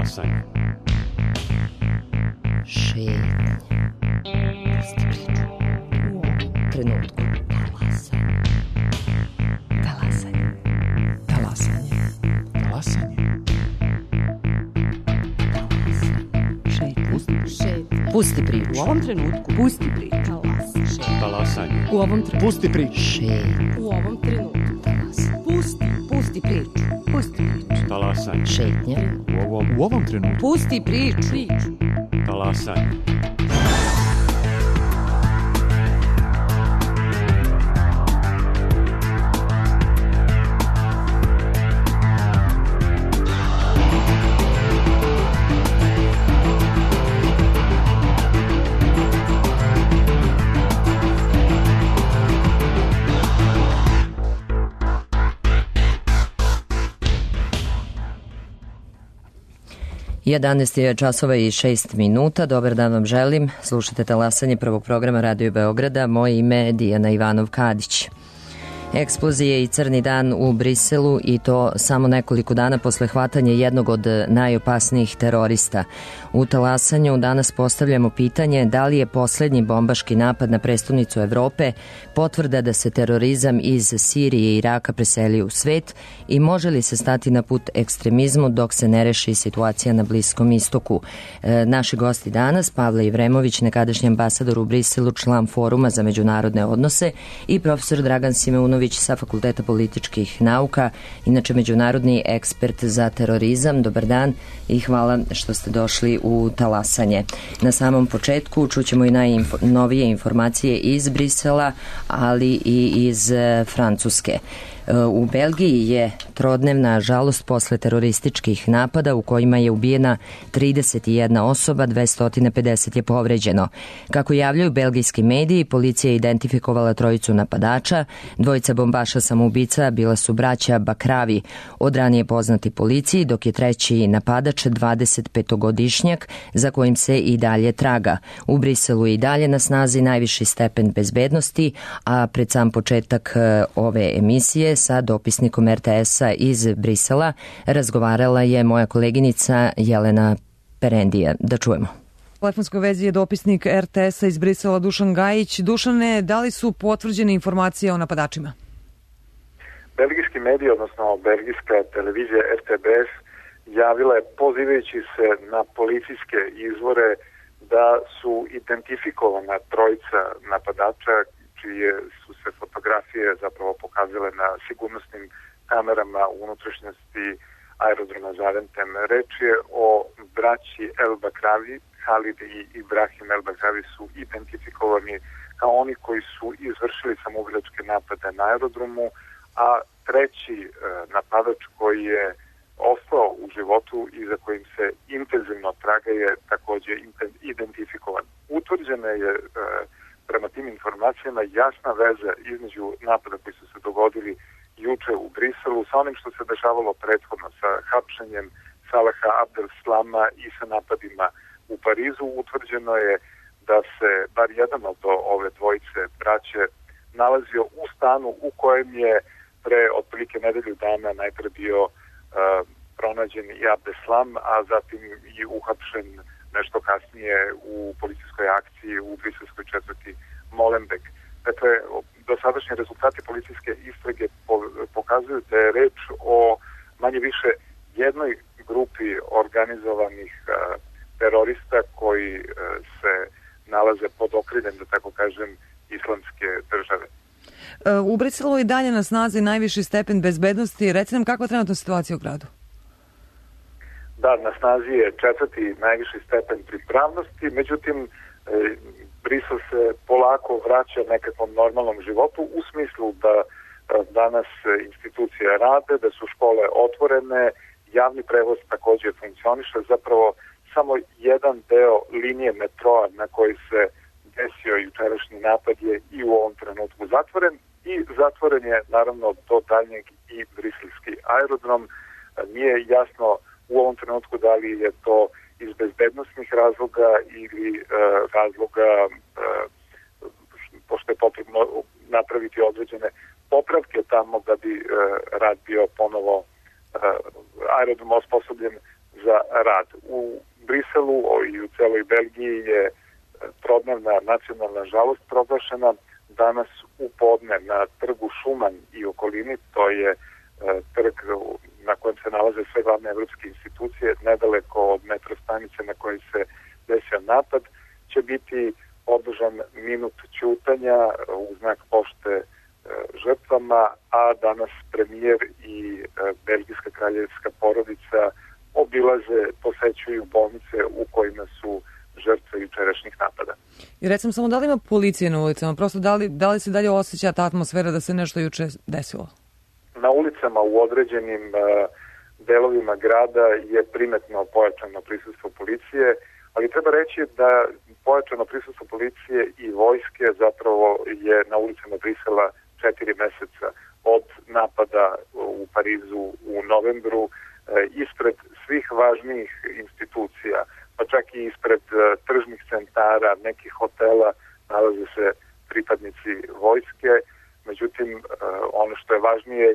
Talasanje. Šetnja. Pusti priču. U ovom trenutku. Talasanje. Talasanje. Talasanje. Šetnja. Pusti priču. U ovom trenutku. Pusti priču. Talasanje. U ovom trenutku. Pusti priču. Šetnja. U ovom trenutku. Pusti priču. Pusti priču. Talasanje. Šetnja. U ovom trenutku. Pusti priču. Talasanje. Jedanaest je časova i 6 minuta. Dobar dan vam želim. Slušate Talasanje prvog programa Radio Beograda. Moje ime je Dijana Ivanov-Kadić. Eksplozije i crni dan u Briselu i to samo nekoliko dana posle hvatanja jednog od najopasnijih terorista. U Talasanju danas postavljamo pitanje da li je poslednji bombaški napad na prestonicu Evrope potvrda da se terorizam iz Sirije i Iraka preselio u svet i može li se stati na put ekstremizmu dok se ne reši situacija na Bliskom istoku. Naši gosti danas, Pavle Ivremović, nekadašnji ambasador u Briselu, član Foruma za međunarodne odnose, i profesor Dragan Simeunović sa Fakulteta političkih nauka, inače međunarodni ekspert za terorizam. Dobar dan i hvala što ste došli u Talasanje. Na samom početku čućemo i najnovije informacije iz Brisela, ali i iz Francuske. U Belgiji je trodnevna žalost posle terorističkih napada u kojima je ubijena 31 osoba, 250 je povređeno. Kako javljaju belgijski mediji, policija je identifikovala trojicu napadača. Dvojica bombaša samoubica bila su braća Bakravi, od ranije poznati policiji, dok je treći napadač 25-godišnjak za kojim se i dalje traga. U Briselu je i dalje na snazi najviši stepen bezbednosti, a pred sam početak ove emisije sa dopisnikom RTS-a iz Brisela razgovarala je moja koleginica Jelena Perendija. Da čujemo. U telefonskoj vezi je dopisnik RTS-a iz Brisela Dušan Gajić. Dušane, da li su potvrđene informacije o napadačima? Belgijski mediji, odnosno belgijska televizija RTBF, javila je pozivajući se na policijske izvore da su identifikovana trojica napadača čije su se fotografije zapravo pokazale na sigurnosnim kamerama u unutrašnjosti aerodroma Zaventem. Reč je o braći El Bakravi. Halid i Ibrahim El Bakravi su identifikovani kao oni koji su izvršili samoubilačke napade na aerodromu, a treći napadač koji je ostao u životu i za kojim se intenzivno traga je takođe identifikovan. Utvrđena je prema tim informacijama jasna veza između napada koji su se dogodili juče u Briselu sa onim što se dešavalo prethodno, sa hapšenjem Salaha Abdel-Slama i sa napadima u Parizu. Utvrđeno je da se bar jedan od ove dvojice braće nalazio u stanu u kojem je pre otprilike nedelju dana najpre bio pronađen i Abdeslam, a zatim i uhapšen nešto kasnije u policijskoj akciji u briselskoj četvrti Molenbeek. Dakle, dosadašnji rezultati policijske istrage pokazuju da je reč o manje više jednoj grupi organizovanih terorista koji se nalaze pod okriljem, da tako kažem, islamske države. U Briselu je dalje na snazi najviši stepen bezbednosti. Reci nam kakva je trenutna situacija u gradu? Da, na snazi je četvrti najviši stepen pripravnosti, međutim, Brisel se polako vraća nekakvom normalnom životu u smislu da danas institucije rade, da su škole otvorene, javni prevoz takođe funkcioniše, zapravo samo jedan deo linije metroa na koji se desio jučerašnji napad je i u ovom trenutku zatvoren i zatvoren je naravno do daljnjeg i briselski aerodrom. Nije jasno u ovom trenutku da li je to iz bezbednosnih razloga ili razloga pošto je potrebno napraviti određene popravke tamo da bi rad bio ponovo aerodrom osposobljen za rad. nažalost proglašena danas u podne na trgu Šuman i okolini, to je trg na kojem se nalaze sve glavne evropske institucije, nedaleko od metro stanice na kojoj se desio napad, će biti održan minut ćutanja u znak pošte žrtvama, a danas premijer i belgijska kraljevska porodica obilaze, posećuju bolnice u kojima su žrtve jučerašnjih napada. I recimo samo da li ima policije na ulicama, prosto da li se dalje osjeća ta atmosfera da se nešto juče desilo? Na ulicama u određenim delovima grada je primetno pojačano prisustvo policije, ali treba reći da pojačano prisustvo policije i vojske zapravo je na ulicama Brisela 4 meseca od napada u Parizu u novembru, ispred svih važnijih institucija, pa čak i ispred tržnih centara, nekih hotela nalaze se pripadnici vojske. Međutim, ono što je važnije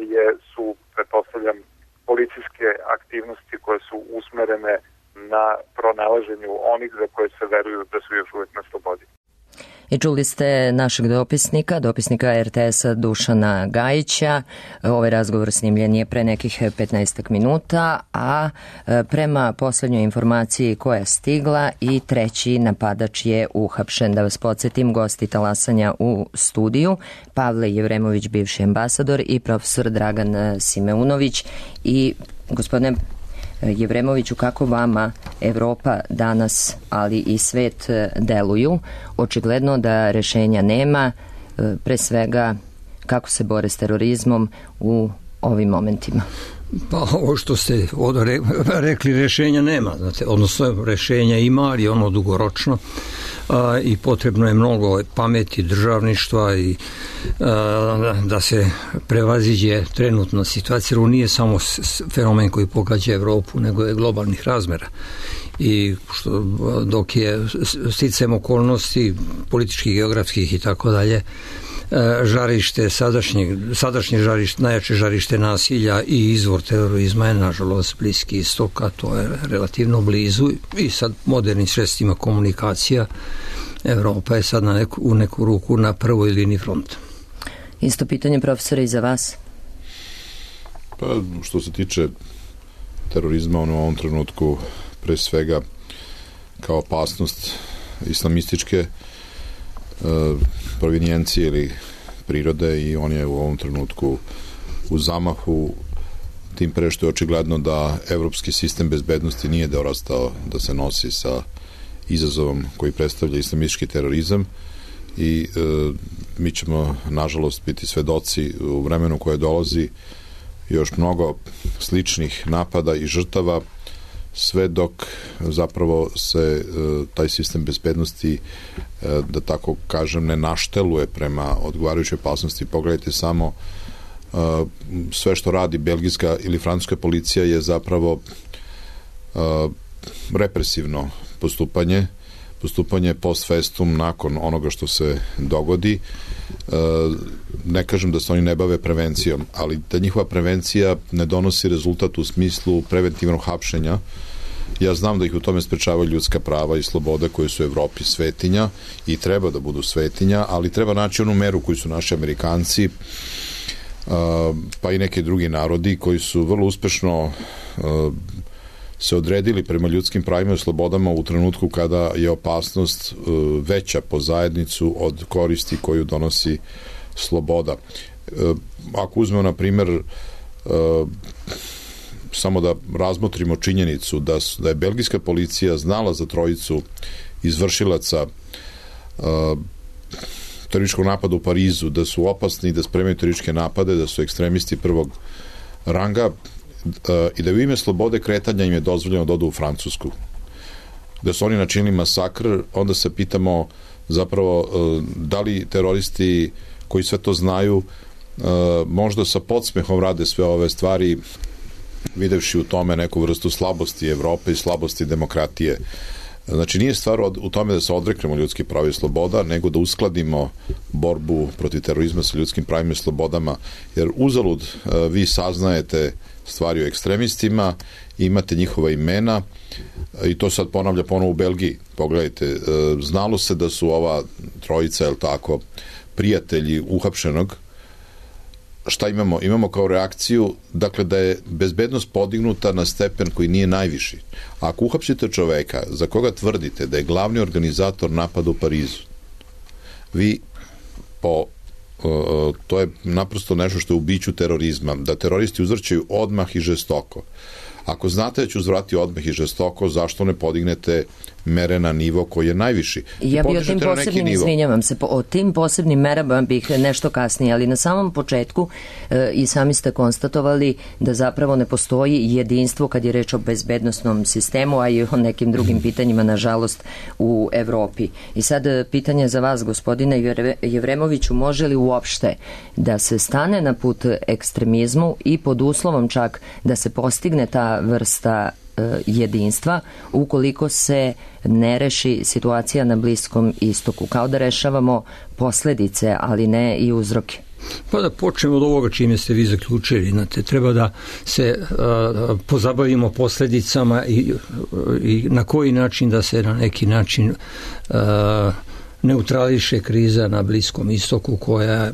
su, pretpostavljam, policijske aktivnosti koje su usmerene na pronalaženju onih za koje se veruju da su još uvijek na slobodi. I čuli ste našeg dopisnika RTS-a Dušana Gajića. Ovaj razgovor snimljen je pre nekih 15 minuta, a prema poslednjoj informaciji koja je stigla i treći napadač je uhapšen. Da vas podsjetim, gosti talasanja u studiju Pavle Jevremović, bivši ambasador, i profesor Dragan Simeunović. I gospodine Jevremoviću, kako vama Evropa danas, ali i svet deluju? Očigledno da rešenja nema, pre svega kako se bore s terorizmom u ovim momentima. Pa ovo što ste rekli, rešenja nema, znate, odnosno rešenja ima, ali ono dugoročno i potrebno je mnogo pameti, državništva i da se prevaziđe trenutna situacija. Ovo nije samo fenomen koji pogađa Evropu, nego je globalnih razmera. I dok je sticajem okolnosti političkih, geografskih i tako dalje, žarište, sadašnje žarište, najjače žarište nasilja i izvor terorizma je nažalost Bliski istok, a to je relativno blizu i sad modernim sredstvima komunikacija Evropa je sad u neku ruku na prvoj liniji fronta. Isto pitanje, profesore, i za vas. Pa što se tiče terorizma, on u ovom trenutku pre svega kao opasnost islamističke provinijencije ili prirode, i on je u ovom trenutku u zamahu, tim pre što je očigledno da evropski sistem bezbednosti nije dorastao da se nosi sa izazovom koji predstavlja islamistički terorizam i mi ćemo nažalost biti svedoci u vremenu koje dolazi još mnogo sličnih napada i žrtava, sve dok zapravo se taj sistem bezbednosti, da tako kažem, ne našteluje prema odgovarajućoj opasnosti. Pogledajte samo, sve što radi belgijska ili francuska policija je zapravo represivno postupanje post festum nakon onoga što se dogodi. Ne kažem da se oni ne bave prevencijom, ali da njihova prevencija ne donosi rezultat u smislu preventivnog hapšenja. Ja znam da ih u tome sprečavaju ljudska prava i slobode koje su u Evropi svetinja i treba da budu svetinja, ali treba naći onu meru koju su naši Amerikanci, pa i neki drugi narodi koji su vrlo uspešno se odredili prema ljudskim pravima i slobodama u trenutku kada je opasnost veća po zajednicu od koristi koju donosi sloboda. Ako uzmemo, na primer, samo da razmotrimo činjenicu da je belgijska policija znala za trojicu izvršilaca terorističkog napada u Parizu, da su opasni, da spremaju terorističke napade, da su ekstremisti prvog ranga, i da u ime slobode kretanja im je dozvoljeno da odu u Francusku, da su oni načinili masakr, onda se pitamo zapravo da li teroristi koji sve to znaju možda sa podsmehom rade sve ove stvari, videvši u tome neku vrstu slabosti Evrope i slabosti demokratije. Znači, nije stvar u tome da se odreknemo ljudskih prava i sloboda, nego da uskladimo borbu protiv terorizma sa ljudskim pravima i slobodama, jer uzalud vi saznajete stvari o ekstremistima, imate njihova imena i to sad ponavlja ponovo u Belgiji. Pogledajte, znalo se da su ova trojica, je li tako, prijatelji uhapšenog. Šta imamo? Imamo kao reakciju, dakle, da je bezbednost podignuta na stepen koji nije najviši. Ako uhapsite čoveka za koga tvrdite da je glavni organizator napada u Parizu, vi to je naprosto nešto što je u biću terorizma, da teroristi uzvrćaju odmah i žestoko. Ako znate da ću uzvrati odmah i žestoko, zašto ne podignete mere na nivo koji je najviši? Ja bi o tim posebnim, izvinjavam se, o tim posebnim merama bih nešto kasnije, ali na samom početku i sami ste konstatovali da zapravo ne postoji jedinstvo kad je reč o bezbednosnom sistemu, a i o nekim drugim pitanjima, nažalost, u Evropi. I sad pitanje za vas, gospodine Jevremoviću, može li uopšte da se stane na put ekstremizmu i pod uslovom čak da se postigne ta vrsta jedinstva ukoliko se ne reši situacija na Bliskom istoku, kao da rešavamo posledice, ali ne i uzroke? Pa da počnemo od ovoga čime ste vi zaključili. Znate, treba da se pozabavimo posledicama i na koji način da se na neki način neutrališe kriza na Bliskom istoku koja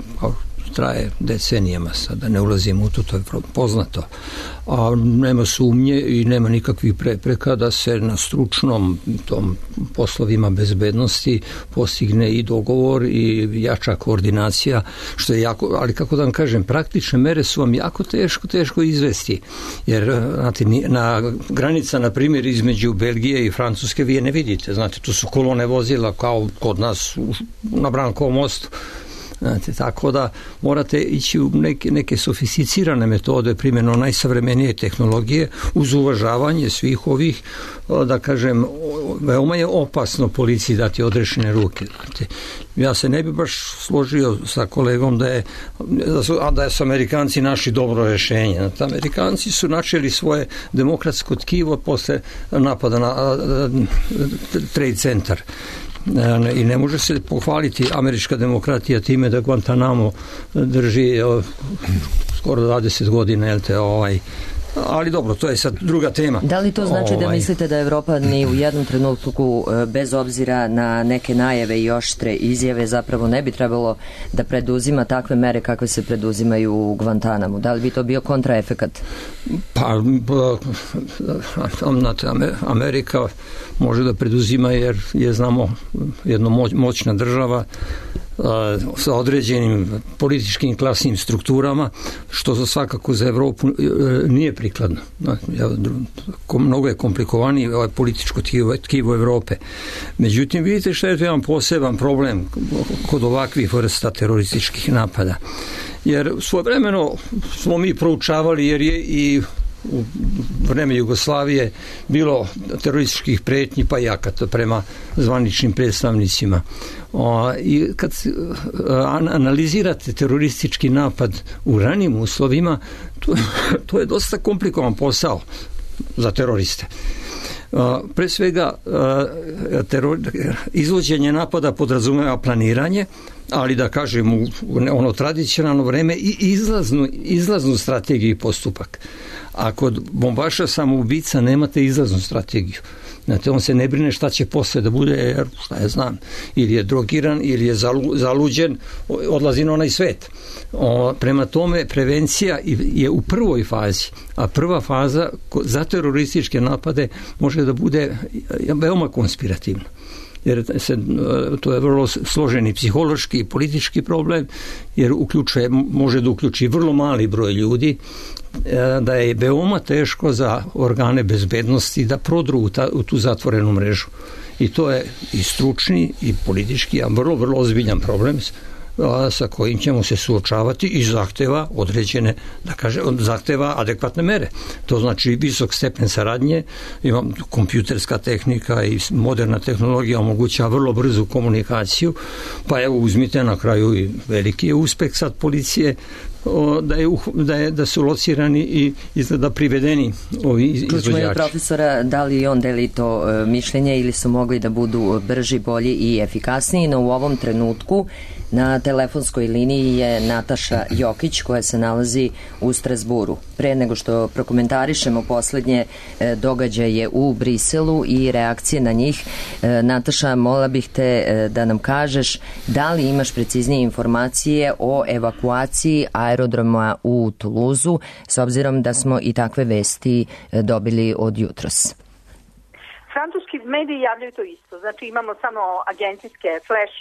traje decenijama, sada ne ulazimo u to je poznato. A nema sumnje i nema nikakvih prepreka da se na stručnom tom poslovima bezbednosti postigne i dogovor i jača koordinacija, što je jako, ali kako da vam kažem, praktične mere su vam jako teško izvesti, jer znate, na granica, na primjer, između Belgije i Francuske vi je ne vidite, znate, tu su kolone vozila kao kod nas na Brankovom mostu. Znate, tako da morate ići u neke sofisticirane metode primjenom najsavremenije tehnologije uz uvažavanje svih ovih, da kažem, veoma je opasno policiji dati odrešene ruke. Znate, ja se ne bi baš složio sa kolegom da su Amerikanci našli dobro rešenje. Znate, Amerikanci su načeli svoje demokratsko tkivo posle napada na Trade Center. I ne može se pohvaliti američka demokratija time da Guantanamo drži skoro 20 godina, ali dobro, to je sad druga tema. Da li to znači da mislite da Evropa ni u jednom trenutku, bez obzira na neke najave i oštre izjave, zapravo ne bi trebalo da preduzima takve mere kakve se preduzimaju u Guantanamu? Da li bi to bio kontraefekat? Pa, Amerika može da preduzima jer je, znamo, jedna moćna država sa određenim političkim klasnim strukturama, što za svakako za Evropu nije prikladno. Mnogo je komplikovaniji političko tkivo Evrope. Međutim, vidite što je to jedan poseban problem kod ovakvih vrsta terorističkih napada. Jer svojevremeno smo mi proučavali, jer je i u vreme Jugoslavije bilo terorističkih pretnji pa i akata prema zvaničnim predstavnicima. I kad analizirate teroristički napad u ranijim uslovima, to je dosta komplikovan posao za teroriste. Pre svega, izvođenje napada podrazumeva planiranje, ali da kažem u ono tradicionalno vreme i izlaznu strategiju i postupak. A kod bombaša samoubica nemate izlaznu strategiju. Znate, on se ne brine šta će posle da bude, jer šta ja znam, ili je drogiran, ili je zaluđen, odlazi na onaj svet. Prema tome, prevencija je u prvoj fazi, a prva faza za terorističke napade može da bude veoma konspirativna. Jer to je vrlo složeni psihološki i politički problem, jer može da uključi vrlo mali broj ljudi, da je veoma teško za organe bezbednosti da prodru u tu zatvorenu mrežu. I to je i stručni i politički, a vrlo, vrlo ozbiljan problem sa kojim ćemo se suočavati i zahteva određene, da kažem, zahteva adekvatne mere. To znači visok stepen saradnje, imam kompjuterska tehnika i moderna tehnologija omogućava vrlo brzu komunikaciju, pa evo uzmite na kraju i veliki je uspeh sad policije da su locirani i izgleda privedeni ovi izvođači. Čućemo od profesora da li on deli to mišljenje ili su mogli da budu brži, bolji i efikasniji, no u ovom trenutku na telefonskoj liniji je Nataša Jokić koja se nalazi u Strazburu. Pre nego što prokomentarišemo poslednje događaje u Briselu i reakcije na njih, Nataša, molila bih te da nam kažeš da li imaš preciznije informacije o evakuaciji aerodroma u Tuluzu, s obzirom da smo i takve vesti dobili od jutros. Francuski mediji javljaju to isto. Znači imamo samo agencijske flash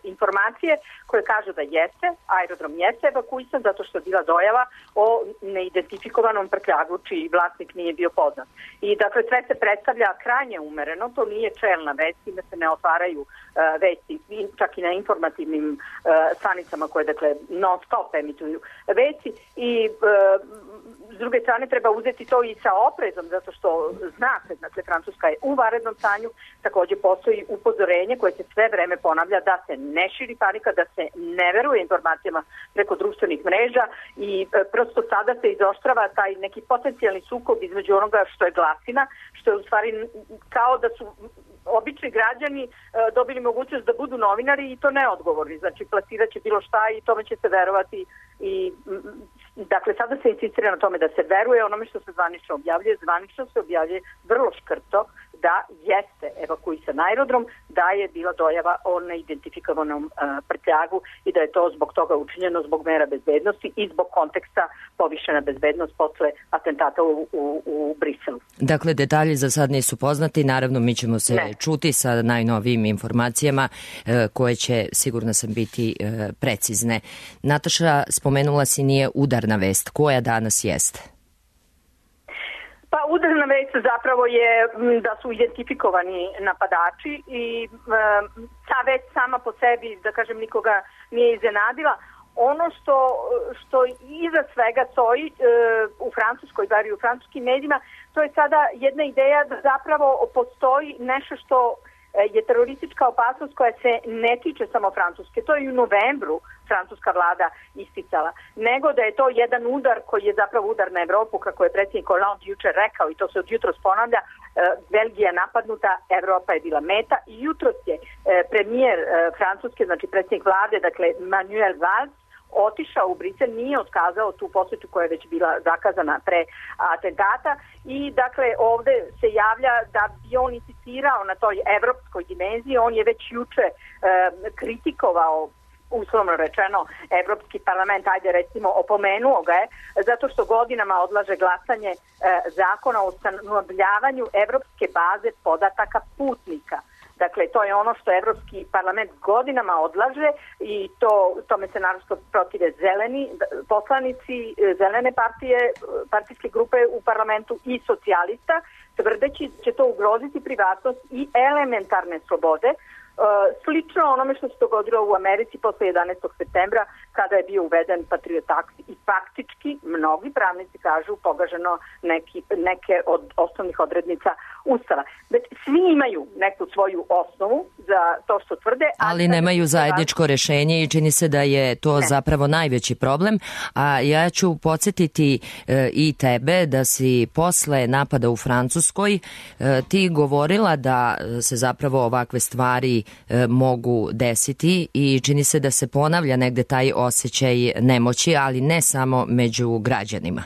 informacije koje kažu da jeste, aerodrom jeste evakuisan zato što je bila dojava o neidentifikovanom prtljagu čiji vlasnik nije bio poznat. I dakle sve se predstavlja krajnje umereno, to nije čelna vest, da se ne otvaraju vesti, čak i na informativnim stanicama koje dakle non stop emituju vesti i s druge strane treba uzeti to i sa oprezom zato što zna se, dakle Francuska je u vanrednom stanju, takođe postoji upozorenje koje se sve vreme ponavlja da se ne širi panika, da se ne veruje informacijama preko društvenih mreža i prosto sada se izoštrava taj neki potencijalni sukob između onoga što je glasina, što je u stvari kao da su obični građani dobili mogućnost da budu novinari i to neodgovorni, znači plasirat će bilo šta i tome će se verovati i dakle sada se insistira na tome da se veruje onome što se zvanično objavljuje vrlo škrto da jeste evakuisan aerodrom, da je bila dojava o neidentifikovanom prtljagu i da je to zbog toga učinjeno zbog mera bezbednosti i zbog konteksta povišena bezbednost posle atentata u Briselu. Dakle, detalji za sad nisu poznati, naravno mi ćemo se čuti sa najnovijim informacijama koje će, sigurno sam, biti precizne. Nataša, spomenula si nije udarna vest, koja danas jeste? Pa udarna vest zapravo je da su identifikovani napadači i ta vest sama po sebi, da kažem, nikoga nije iznenadila. Ono što iza svega stoji u Francuskoj, bar i u francuskim medijima, to je sada jedna ideja da zapravo postoji nešto što je teroristička opasnost koja se ne tiče samo Francuske. To je i u novembru francuska vlada isticala. Nego da je to jedan udar koji je zapravo udar na Evropu, kako je predsjednik Hollande juče rekao i to se od jutros ponavlja, Belgija napadnuta, Evropa je bila meta i jutros je premijer Francuske, znači predsjednik vlade, dakle Manuel Valls, otišao u Brisel, nije otkazao tu posjetu koja je već bila zakazana pre atentata i dakle ovde se javlja da bi on insistirao na toj evropskoj dimenziji. On je već juče kritikovao, uslovno rečeno, Evropski parlament, ajde recimo opomenuo ga je, zato što godinama odlaže glasanje zakona o ustanovljavanju evropske baze podataka putnika. Dakle, to je ono što Evropski parlament godinama odlaže i tome se naravno protive zeleni poslanici, zelene partijske grupe u parlamentu i socijalista, tvrdeći će to ugroziti privatnost i elementarne slobode. Slično onome što se dogodilo u Americi posle 11. septembra kada je bio uveden Patriot Act i faktički mnogi pravnici kažu pogaženo neke od osnovnih odrednica Ustava. Svi imaju neku svoju osnovu za to što tvrde. Ali nemaju zajedničko rešenje i čini se da je to zapravo najveći problem. A ja ću podsjetiti i tebe da si posle napada u Francuskoj ti govorila da se zapravo ovakve stvari mogu desiti i čini se da se ponavlja negde taj osjećaj nemoći, ali ne samo među građanima.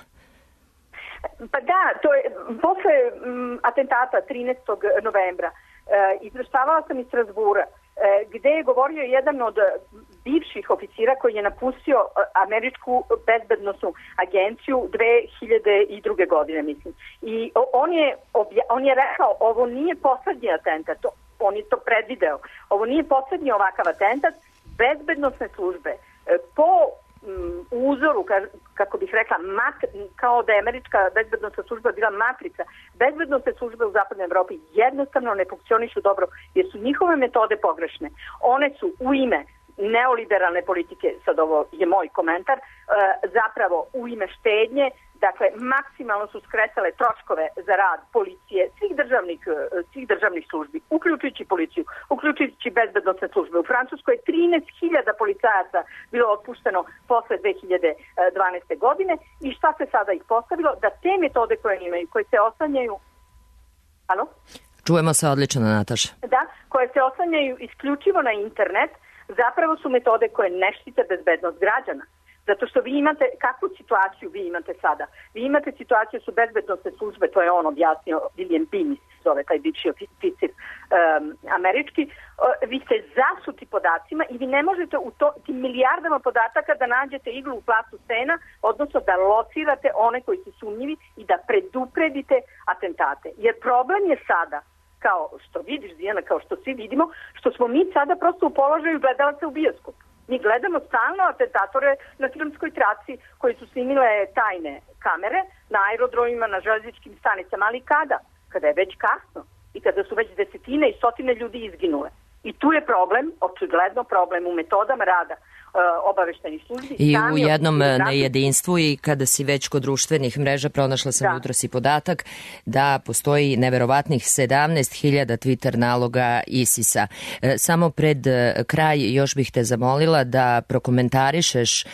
Pa da, to je posle atentata 13. novembra izveštavala sam iz Strasbura gde je govorio jedan od bivših oficira koji je napustio američku bezbednosnu agenciju 2002. godine, mislim. I on je rekao, ovo nije poslednji atentat, on je to predvideo, ovo nije poslednji ovakav atentat, bezbednosne službe po uzoru, kako bih rekla, kao da je američka bezbednosna služba bila matrica, bezbednosne službe u zapadnoj Evropi jednostavno ne funkcionišu dobro jer su njihove metode pogrešne. One su u ime neoliberalne politike, sad ovo je moj komentar, zapravo u ime štednje, dakle, maksimalno su skresale troškove za rad policije, svih državnih službi, uključujući policiju, uključujući bezbednosne službe. U Francuskoj je 13.000 policajaca bilo otpušteno posle 2012. godine i šta se sada ih postavilo? Da te metode koje imaju, koje se oslanjaju... Alo? Čujemo se odlično, Nataša. Da, koje se oslanjaju isključivo na internet, zapravo su metode koje ne štite bezbednost građana. Zato što vi imate, kakvu situaciju vi imate sada? Vi imate situaciju su bezbednostne službe, to je on objasnio, William Binis, zove taj bivši oficir američki, vi ste zasuti podacima i vi ne možete u tim milijardama podataka da nađete iglu u plastu sena, odnosno da locirate one koji su sumnjivi i da predupredite atentate. Jer problem je sada, kao što vidiš, Dijana, kao što svi vidimo, što smo mi sada prosto u položaju gledalaca u bioskopu. Mi gledamo stalno atentatore na filmskoj traci koji su snimile tajne kamere na aerodromima, na železničkim stanicama, ali kada? Kada je već kasno i kada su već desetine i stotine ljudi izginule. I tu je problem, očigledno problem u metodama rada obaveštajnih službi. I u jednom nejedinstvu i kada si već kod društvenih mreža, pronašla sam jutros i podatak da postoji neverovatnih 17.000 Twitter naloga ISIS-a. Samo pred kraj još bih te zamolila da prokomentarišeš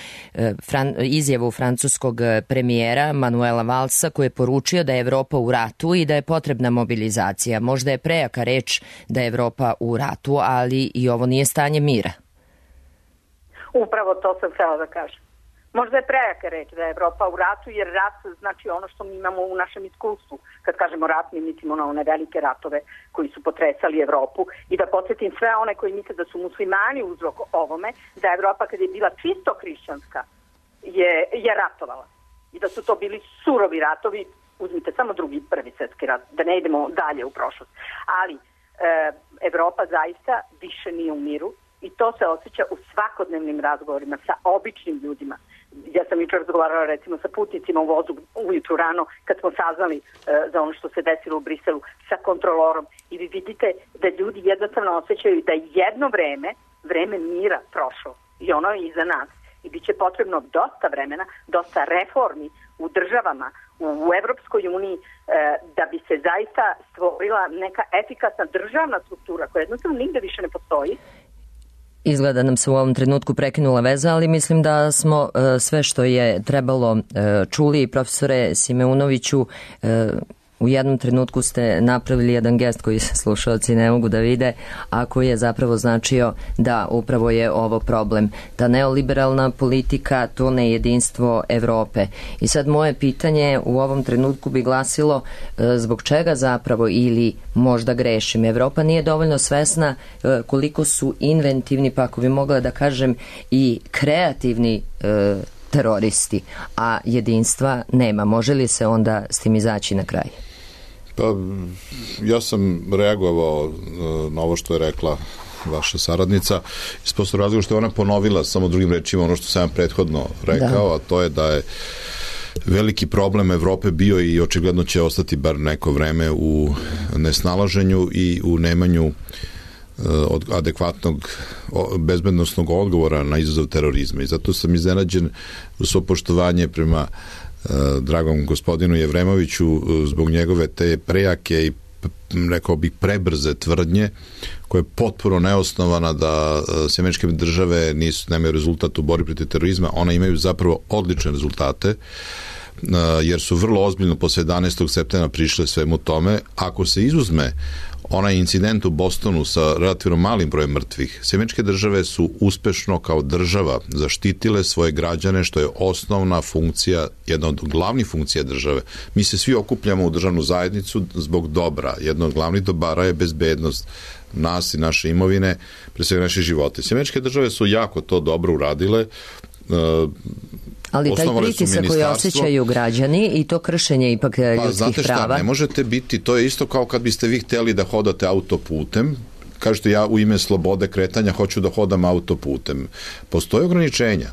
izjavu francuskog premijera Manuela Valsa koji je poručio da je Evropa u ratu i da je potrebna mobilizacija. Možda je prejaka reč da je Evropa u ratu, ali i ovo nije stanje mira. Upravo to sam htjela da kažem. Možda je prejaka reč da je Evropa u ratu, jer rat znači ono što mi imamo u našem iskustvu. Kad kažemo rat, mi mislimo na one velike ratove koji su potresali Evropu. I da podsjetim sve one koji misle da su muslimani uzrok ovome, da je Evropa kad je bila čisto hrišćanska je ratovala. I da su to bili surovi ratovi, uzmite samo drugi, prvi svjetski rat, da ne idemo dalje u prošlost. Ali Evropa zaista više nije u miru. I to se osjeća u svakodnevnim razgovorima sa običnim ljudima. Ja sam jučer razgovarala recimo sa putnicima u vozu ujutru rano kad smo saznali za ono što se desilo u Briselu sa kontrolorom. I vi vidite da ljudi jednostavno osjećaju da jedno vreme mira prošlo i ono je iza nas. I bit će potrebno dosta vremena, dosta reformi u državama, u Evropskoj uniji da bi se zaista stvorila neka efikasna državna struktura koja jednostavno nigde više ne postoji. Izgleda nam se u ovom trenutku prekinula veza, ali mislim da smo sve što je trebalo čuli. Profesore Simeunoviću, u jednom trenutku ste napravili jedan gest koji slušalci ne mogu da vide, a koji je zapravo značio da upravo je ovo problem. Ta neoliberalna politika, to nejedinstvo Evrope. I sad moje pitanje u ovom trenutku bi glasilo zbog čega zapravo, ili možda grešim, Evropa nije dovoljno svesna koliko su inventivni, pa ako bi mogla da kažem i kreativni teroristi, a jedinstva nema. Može li se onda s tim izaći na kraj? Pa, ja sam reagovao na ovo što je rekla vaša saradnica iz prostog razloga što je ona ponovila samo drugim rečima ono što sam prethodno rekao, a to je da je veliki problem Evrope bio i očigledno će ostati bar neko vreme u nesnalaženju i u nemanju od adekvatnog bezbednosnog odgovora na izazov terorizma. I zato sam iznenađen u svo poštovanje prema dragom gospodinu Jevremoviću zbog njegove te prejake i rekao bih prebrze tvrdnje koja je potpuno neosnovana da Američke države nemaju rezultat u borbi protiv terorizma. One imaju zapravo odlične rezultate jer su vrlo ozbiljno posle 11. septembra prišle svemu tome. Ako se izuzme onaj incident u Bostonu sa relativno malim brojem mrtvih, Američke države su uspešno kao država zaštitile svoje građane, što je osnovna funkcija, jedna od glavnih funkcija države. Mi se svi okupljamo u državnu zajednicu zbog dobra. Jedno od glavnih dobara je bezbednost nas i naše imovine, pre svega naše živote. Američke države su jako to dobro uradile. Ali taj pritisak koji osjećaju građani i to kršenje ipak ljudskih prava. Znate šta, ne možete biti, to je isto kao kad biste vi hteli da hodate autoputem, kažete ja u ime slobode kretanja hoću da hodam autoputem. Postoje ograničenja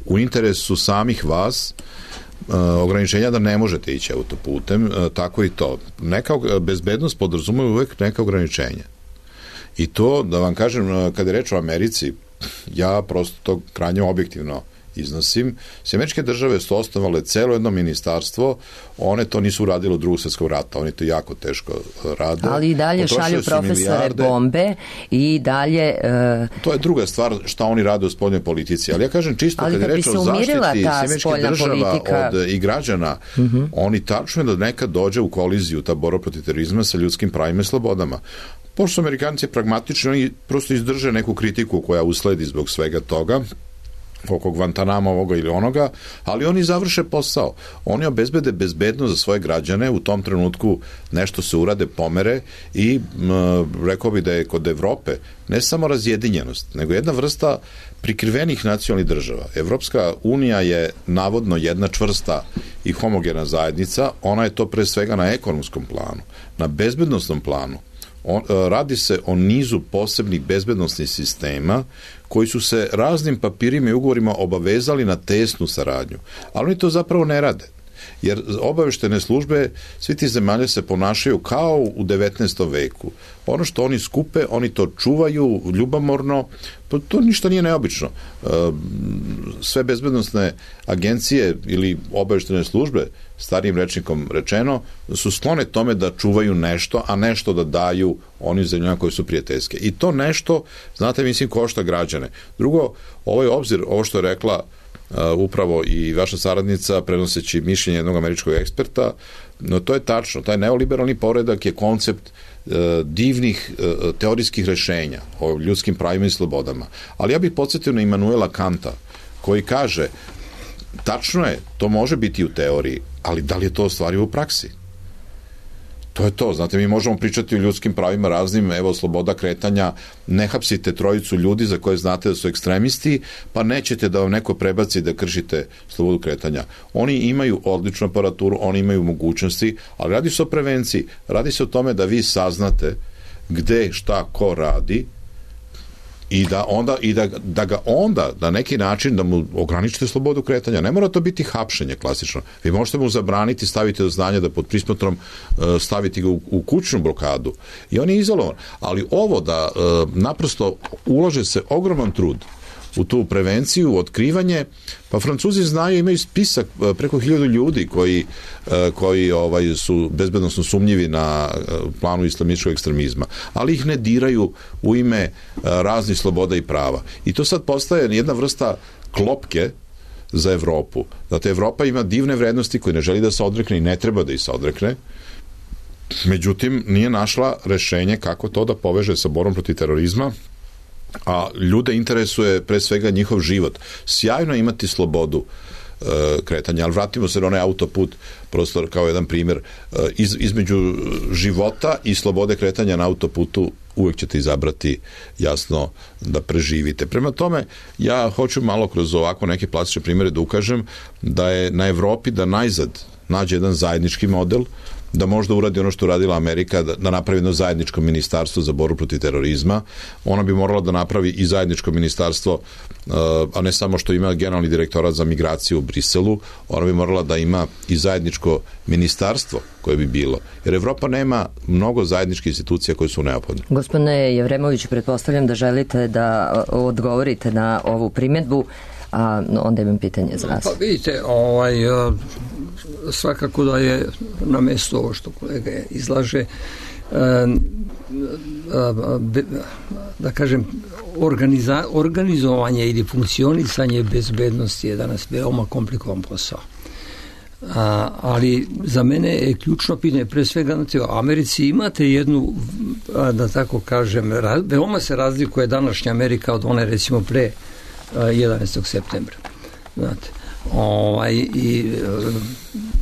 u interesu samih vas, ograničenja da ne možete ići autoputem, tako i to. Bezbednost podrazumeva uvek neka ograničenja. I to, da vam kažem, kad je reč o Americi, ja prosto to krajnje objektivno iznosim. Američke države su osnovale celo jedno ministarstvo, one to nisu uradile u Drugog svjetskog rata, oni to jako teško rade. Ali i dalje šalju profesore bombe i dalje... To je druga stvar šta oni rade u spoljnoj politici, ali ja kažem čisto kad je reč o zaštiti američkih država od i građana, oni tačno da nekad dođe u koliziju ta borba protiv terorizma sa ljudskim pravima i slobodama. Pošto su Amerikanci pragmatični, oni prosto izdrže neku kritiku koja usledi zbog svega toga, oko Guantanama ovoga ili onoga, ali oni završe posao. Oni obezbede bezbednost za svoje građane, u tom trenutku nešto se urade, pomere i rekao bi da je kod Evrope ne samo razjedinjenost, nego jedna vrsta prikrivenih nacionalnih država. Evropska unija je navodno jedna čvrsta i homogena zajednica, ona je to pre svega na ekonomskom planu, na bezbednostnom planu. Radi se o nizu posebnih bezbednosnih sistema koji su se raznim papirima i ugovorima obavezali na tesnu saradnju. Ali oni to zapravo ne rade. Jer obaveštene službe svi ti zemalja se ponašaju kao u 19. veku. Ono što oni skupe, oni to čuvaju ljubomorno, to ništa nije neobično. Sve bezbednosne agencije ili obaveštene službe, starijim rečnikom rečeno, su sklone tome da čuvaju nešto, a nešto da daju onim zemljama koje su prijateljske. I to nešto, znate, mislim, košta građane. Drugo, ovaj obzir, ovo što je rekla upravo i vaša saradnica prenoseći mišljenje jednog američkog eksperta, no to je tačno, taj neoliberalni poredak je koncept divnih teorijskih rešenja o ljudskim pravima i slobodama. Ali ja bih podsjetio na Immanuela Kanta, koji kaže, tačno je, to može biti u teoriji, ali da li je to ostvarivo u praksi? To je to, znate, mi možemo pričati o ljudskim pravima raznim, evo, sloboda kretanja, ne hapsite trojicu ljudi za koje znate da su ekstremisti, pa nećete da vam neko prebaci da kršite slobodu kretanja. Oni imaju odličnu aparaturu, oni imaju mogućnosti, ali radi se o prevenciji, radi se o tome da vi saznate gde, šta, ko radi i da ga onda na neki način da mu ograničite slobodu kretanja. Ne mora to biti hapšenje klasično. Vi možete mu zabraniti, staviti do znanja da pod prismotrom staviti ga u kućnu blokadu i on je izolovan. Ali ovo da naprosto ulaže se ogroman trud u tu prevenciju, otkrivanje, pa Francuzi znaju, imaju spisak preko 1000 ljudi koji su bezbednosno sumnjivi na planu islamističkog ekstremizma, ali ih ne diraju u ime raznih sloboda i prava. I to sad postaje jedna vrsta klopke za Evropu. Znate, Evropa ima divne vrednosti koje ne želi da se odrekne i ne treba da ih se odrekne, međutim nije našla rešenje kako to da poveže sa borbom protiv terorizma, a ljude interesuje pre svega njihov život. Sjajno je imati slobodu kretanja, ali vratimo se na onaj autoput prosto kao jedan primjer. Između života i slobode kretanja na autoputu uvek ćete izabrati jasno da preživite. Prema tome, ja hoću malo kroz ovako neke plastične primjere da ukažem da je na Evropi da najzad nađe jedan zajednički model, da možda uradi ono što uradila Amerika, da napravi jedno zajedničko ministarstvo za borbu protiv terorizma. Ona bi morala da napravi i zajedničko ministarstvo, a ne samo što ima generalni direktorat za migraciju u Briselu, ona bi morala da ima i zajedničko ministarstvo koje bi bilo. Jer Evropa nema mnogo zajedničkih institucija koje su neophodne. Gospodine Jevremoviću, pretpostavljam da želite da odgovorite na ovu primjedbu, a onda imam pitanje za vas. Pa vidite, svakako da je na mesto ovo što kolega izlaže, da kažem, organizovanje ili funkcionisanje bezbednosti je danas veoma komplikovan posao. Ali za mene je ključno pitanje, pre svega u Americi imate jednu, da tako kažem, veoma se razlikuje današnja Amerika od one recimo pre 11. septembra. Znate, i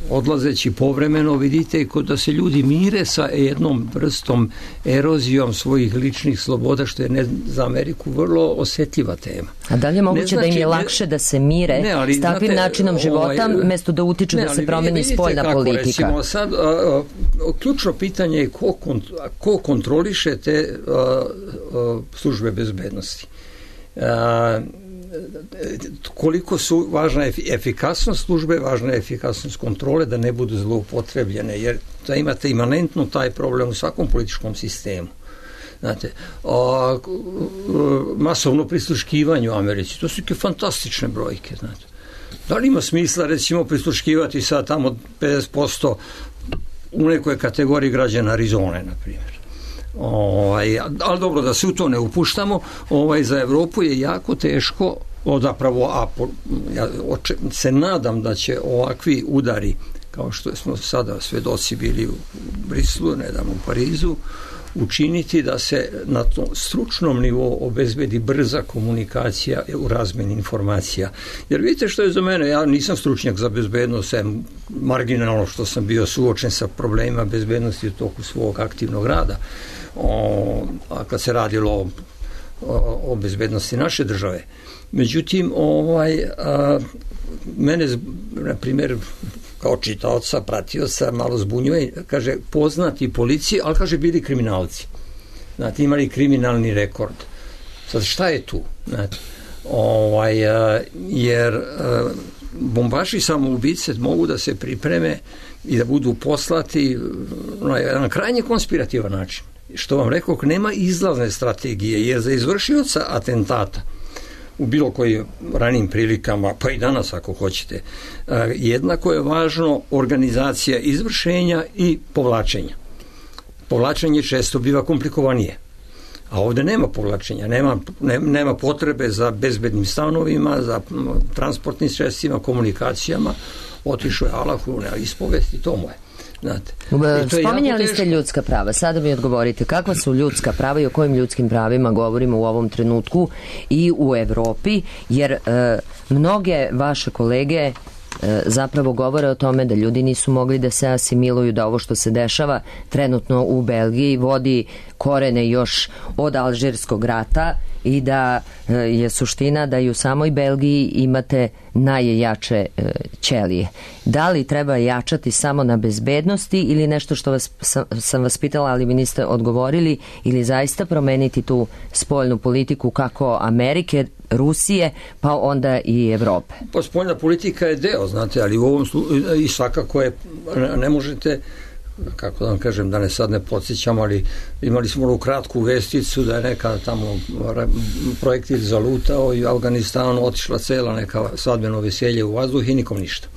odlazeći povremeno vidite da se ljudi mire sa jednom vrstom erozijom svojih ličnih sloboda, što je za Ameriku vrlo osetljiva tema. A da li je moguće da im je lakše da se mire s takvim načinom života mesto da utiču da se promeni spoljna politika? Recimo, sad, ključno pitanje je ko kontroliše te službe bezbednosti. Koliko su važna efikasnost službe, važna je efikasnost kontrole, da ne budu zloupotrebljene, jer da imate imanentno taj problem u svakom političkom sistemu. Znate, masovno prisluškivanje u Americi, to su fantastične brojke, znate. Da li ima smisla, recimo, prisluškivati sad tamo 50% u nekoj kategoriji građana Arizone, na primjer? Ali dobro, da se u to ne upuštamo, za Evropu je jako teško, zapravo, ja se nadam da će ovakvi udari, kao što smo sada svedoci bili u Brislu, nedavno u Parizu, učiniti da se na tom stručnom nivou obezbedi brza komunikacija u razmeni informacija. Jer vidite što je za mene, ja nisam stručnjak za bezbednost, marginalno što sam bio suočen sa problemima bezbednosti u toku svog aktivnog rada, a kad se radilo o bezbednosti naše države. Međutim, mene, na primjer, kao čitaoca, pratioca, malo zbunjuje, kaže, poznati policije, ali kaže, bili kriminalci. Znate, imali kriminalni rekord. Sad, šta je tu? Znate, jer bombaši samoubice mogu da se pripreme i da budu poslati na jedan krajnje konspirativan način. Što vam rekao, nema izlazne strategije, jer za izvršioca atentata u bilo kojim ranijim prilikama, pa i danas ako hoćete, jednako je važno organizacija izvršenja i povlačenja. Povlačenje često biva komplikovanije. A ovdje nema povlačenja, nema potrebe za bezbednim stanovima, za transportnim sredstvima, komunikacijama. Otišao je Alahu na ispovest i to mu je. Spominjali ste ljudska prava, sada mi odgovorite kakva su ljudska prava i o kojim ljudskim pravima govorimo u ovom trenutku i u Evropi, jer mnoge vaše kolege zapravo govore o tome da ljudi nisu mogli da se asimiluju, da ovo što se dešava trenutno u Belgiji vodi korene još od Alžirskog rata i da je suština da i u samoj Belgiji imate najjače ćelije. Da li treba jačati samo na bezbednosti ili nešto što sam vas pitala, ali mi niste odgovorili, ili zaista promeniti tu spoljnu politiku kako Amerike, Rusije, pa onda i Evrope? Pa spoljna politika je deo, znate, ali u ovom i svakako je, ne možete, kako da vam kažem, da sad ne podsjećam, ali imali smo onu kratku vesticu da je neka tamo projektil zalutao i u Afganistanu otišla cela neka svadbeno veselje u vazduh i nikom ništa.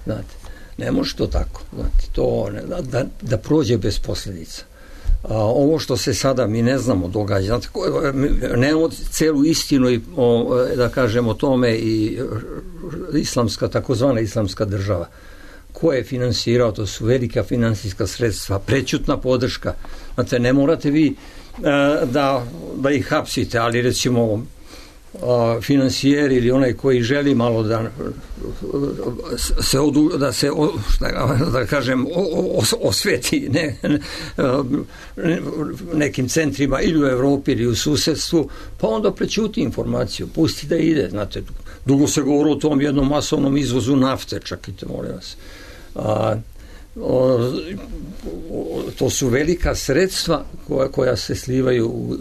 Znate, ne može to tako. Znate, to da prođe bez posljedica. Ovo što se sada mi ne znamo događa, znate, nemamo celu istinu i da kažem o tome i islamska, takozvana islamska država. Ko je finansirao, to su velika finansijska sredstva, prećutna podrška. Znate, ne morate vi da ih hapsite, ali recimo financijer ili onaj koji želi malo da kažem osveti nekim centrima ili u Evropi ili u susedstvu, pa onda prećuti informaciju, pusti da ide. Znate, dugo se govori o tom jednom masovnom izvozu nafte, čakajte, molim vas. To su velika sredstva koja se slivaju u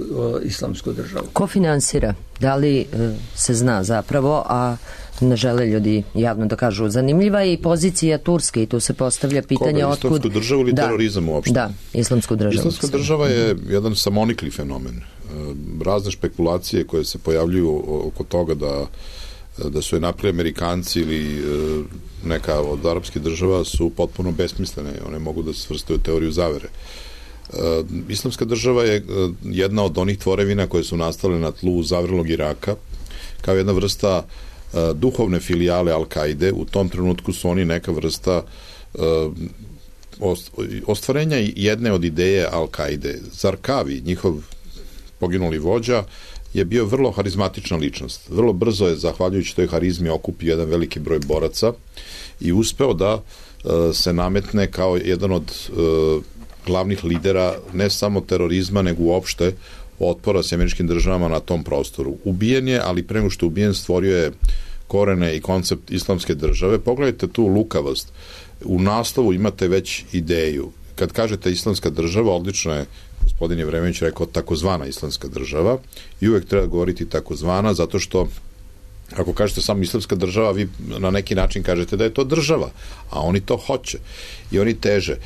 islamsku državu. Ko finansira? Da li se zna zapravo, a ne žele ljudi javno da kažu? Zanimljiva je i pozicija Turske i tu se postavlja pitanje otkud... Islamsku državu ili terorizam uopšte? Da, islamsku državu. Islamska država je jedan samonikli fenomen. Razne špekulacije koje se pojavljuju oko toga da su je napravili Amerikanci ili neka od arapskih država su potpuno besmislene. One mogu da se svrstaju u teoriju zavere. Islamska država je jedna od onih tvorevina koje su nastale na tlu zavrlog Iraka kao jedna vrsta duhovne filijale Al-Kaide. U tom trenutku su oni neka vrsta ostvarenja jedne od ideje Al-Kaide. Zarkavi, njihov poginuli vođa, je bio vrlo harizmatična ličnost. Vrlo brzo je, zahvaljujući toj harizmi, okupio jedan veliki broj boraca i uspeo da se nametne kao jedan od glavnih lidera ne samo terorizma, nego uopšte otpora s američkim državama na tom prostoru. Ubijen je, ali pre nego što ubijen stvorio je korene i koncept islamske države. Pogledajte tu lukavost. U naslovu imate već ideju. Kad kažete islamska država, odlično je gospodin Jevremenović rekao takozvana islamska država i uvek treba govoriti takozvana, zato što ako kažete samo islamska država, vi na neki način kažete da je to država, a oni to hoće i oni teže.